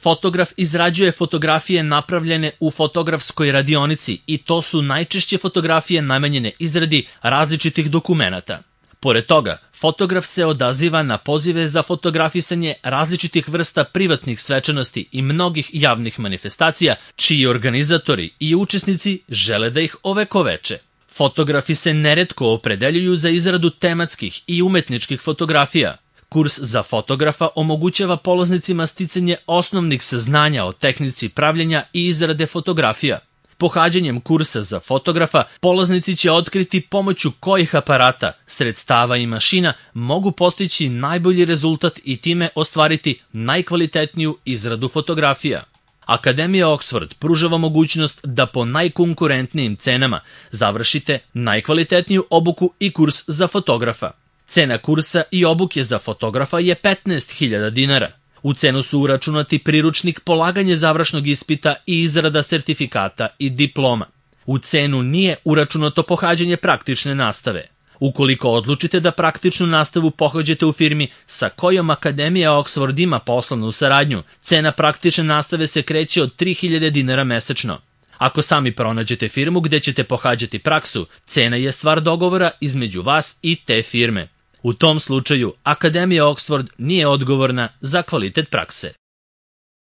Fotograf izrađuje fotografije napravljene u fotografskoj radionici i to su najčešće fotografije namenjene izradi različitih dokumenata. Pored toga, fotograf se odaziva na pozive za fotografisanje različitih vrsta privatnih svečanosti i mnogih javnih manifestacija, čiji organizatori i učesnici žele da ih ovekoveče. Fotografi se neretko opredeljuju za izradu tematskih i umetničkih fotografija. Kurs za fotografa omogućava polaznicima sticanje osnovnih saznanja o tehnici pravljenja i izrade fotografija. Pohađanjem kursa za fotografa, polaznici će otkriti pomoću kojih aparata, sredstava i mašina mogu postići najbolji rezultat i time ostvariti najkvalitetniju izradu fotografija. Akademija Oxford pružava mogućnost da po najkonkurentnijim cenama završite najkvalitetniju obuku i kurs za fotografa. Cena kursa i obuke za fotografa je 15.000 dinara. U cenu su uračunati priručnik, polaganje završnog ispita i izrada sertifikata i diploma. U cenu nije uračunato pohađanje praktične nastave. Ukoliko odlučite da praktičnu nastavu pohađate u firmi sa kojom Akademija Oxford ima poslovnu saradnju, cena praktične nastave se kreće od 3.000 dinara mesečno. Ako sami pronađete firmu gde ćete pohađati praksu, cena je stvar dogovora između vas i te firme. U tom slučaju, Akademija Oxford nije odgovorna za kvalitet prakse.